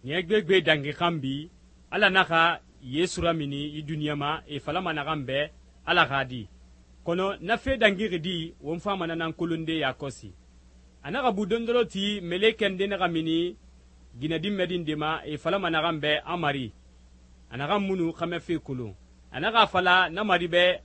Ɲɛ gbegbe dangi xanbi Ala naxa Yesu ramini yi duniɲa ma e falama naxan bɛ Ala xa di. Kɔnɔ na fe dangixi di won fama na nan kolonde yakɔsi. A naxa bu dondoro ti melekɛ nde naxa mini ginɛdinmɛdi nde ma e falama naxan bɛ a mari. A naxan munu xɛmɛfe kolon. A naxa a fala na mari bɛ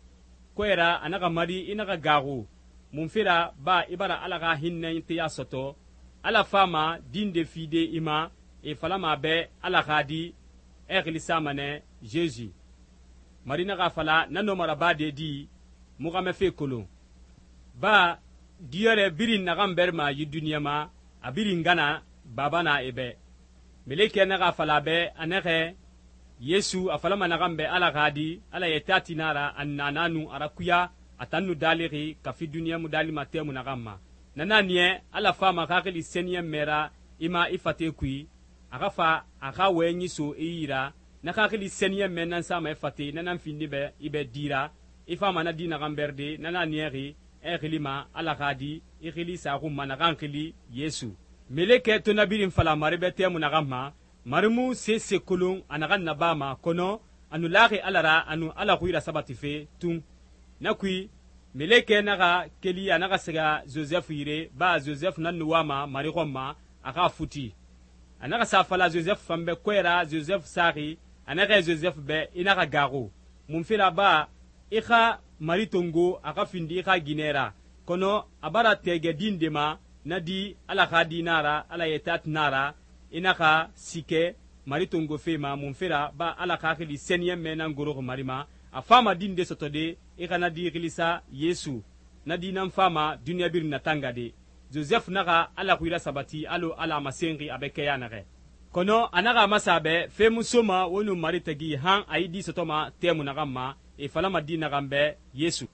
kɔɛ ra a naxa mari i naxa gaaxu munfe ra ba i bara Ala xa hinnɛteya sɔtɔ Ala fama din nde fide i ma e falama a bɛ Ala xa di e xili sama nɛ Jesu. Mari naxa a fala na nɔma rabade di mu xɛmɛfe kolon. Ba diyɔrɛ birin naxan bɛrima yi duniɲa ma a birin gana baba na e bɛ. Melekɛ naxa a fala a bɛ a nɛxɛ Yesu a falama naxan bɛ Ala xa di Ala yɛtɛ a ti na ra a nana nu a rakuya a tan nu dalixi kafi duniɲa mu dalima tɛmu naxan ma. Na na niya Ala fama xaxili sɛniyɛnmɛ ra i ma i fate kui a xa fa a xa wɔyɛnyi so i yi ra na xaxili sɛniyɛnmɛ nan sama i fate na nan findi bɛ i bɛ di ra i fama na di naxan bɛride na na niyɛxi e xili ma Ala xa di i xili saxun ma naxan xili Yesu. Melekɛ to na birin fala mari bɛ tɛmu naxan ma mari mu sese kolon a naxan nabama kɔnɔ a nu laxi Ala ra a nu Ala xui rasabatife tun. Na kui melekɛ naxa keli a naxa siga Joseph yire ba Joseph nan nu wama mari xɔn ma a xa futi. A naxa sa fala Joseph fan bɛ kɔɛ ra Joseph saxi a naxɛ Joseph bɛ i naxa gaaxu munfe ra ba i xa mari tongo a xa findi i xa ginɛ ra kɔnɔ a bara tɛgɛ di nde ma na di Ala xa di na ra Ala yɛtɛ a ti na ra i naxa sikɛ mari tongo fe ma munfe ra ba Ala xaxili sɛniyɛnmɛ nan goroxi mari ma a fama di nde sɔtɔde i xa na di xilisa Yesu na di nan fama duniɲa birin natangade. Joseph naxa Ala xui rasabati allo Ala a masenxi a bɛ kɛya naxɛ. Kɔnɔ a naxa a masa a bɛ fe mu soma wo nu mari tagi han a yi di sɔtɔma tɛmu naxan ma e falama di naxan bɛ Yesu.